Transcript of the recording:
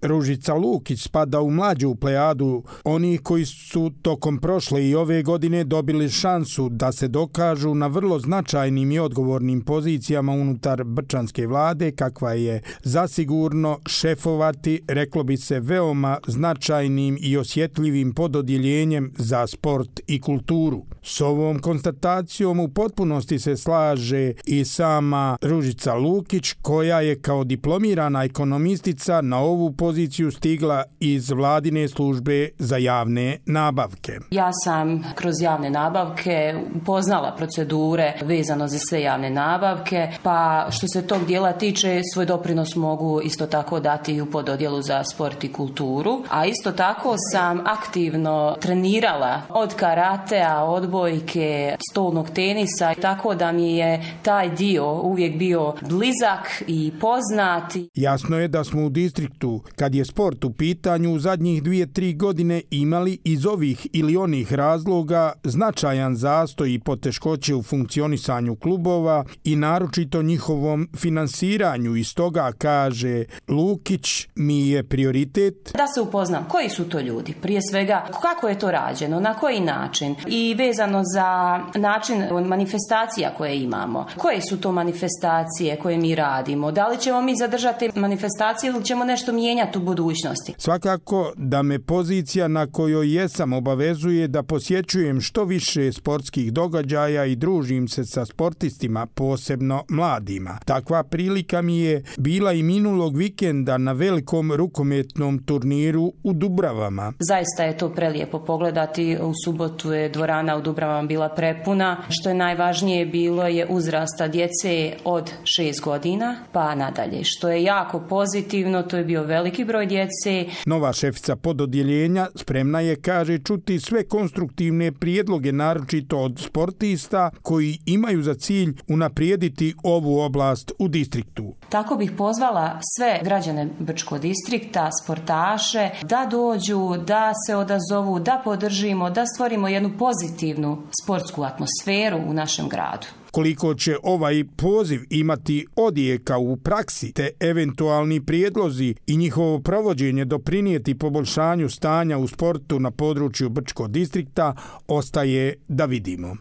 Ružica Lukić spada u mlađu plejadu onih koji su tokom prošle i ove godine dobili šansu da se dokažu na vrlo značajnim i odgovornim pozicijama unutar brčanske vlade, kakva je zasigurno šefovati, reklo bi se, veoma značajnim i osjetljivim pododjeljenjem za sport i kulturu. S ovom konstatacijom u potpunosti se slaže i sama Ružica Lukić, koja je kao diplomirana ekonomistica na ovu poziciju stigla iz vladine službe za javne nabavke. Ja sam kroz javne nabavke poznala procedure vezano za sve javne nabavke, pa što se tog dijela tiče, svoj doprinos mogu isto tako dati u pododjelu za sport i kulturu, a isto tako sam aktivno trenirala od karatea, odbojke, stolnog tenisa, tako da mi je taj dio uvijek bio blizak i poznat. Jasno je da smo u distriktu, kad je sport u pitanju, u zadnjih 2-3 godine imali iz ovih ili onih razloga značajan zastoj i poteškoće u funkcionisanju klubova i naročito njihovom finansiranju. Iz toga, kaže Lukić, mi je prioritet da se upoznam koji su to ljudi, prije svega kako je to rađeno, na koji način i vezano za način manifestacija koje imamo. Koje su to manifestacije koje mi radimo? Da li ćemo mi zadržati manifestacije ili ćemo nešto mijenjati u budućnosti? Svakako da me pozicija na kojoj jesam obavezuje da posjećujem što više sportskih događaja i družim se sa sportistima, posebno mladima. Takva prilika mi je bila i minulog vikenda na velikom rukometnom turniru u Dubravama. Zaista je to prelijepo pogledati. U subotu je dvorana u Dubravama bila prepuna. Što je najvažnije bilo je uzrasta djece od 6 godina pa nadalje. Što je jako pozitivno, to je bio veliki broj djece. Nova šefica pododjeljenja spremna je, kaže, čuti sve konstruktivne prijedloge, naročito od sportista koji imaju za cilj unaprijediti ovu oblast u distriktu. Tako bih pozvala sve građane Brčkog distrikta, sportaše, da dođu, da se odazovu, da podržimo, da stvorimo jednu pozitivnu sportsku atmosferu u našem gradu. Koliko će ovaj poziv imati odjeka u praksi, te eventualni prijedlozi i njihovo provođenje doprinijeti poboljšanju stanja u sportu na području Brčkog distrikta, ostaje da vidimo.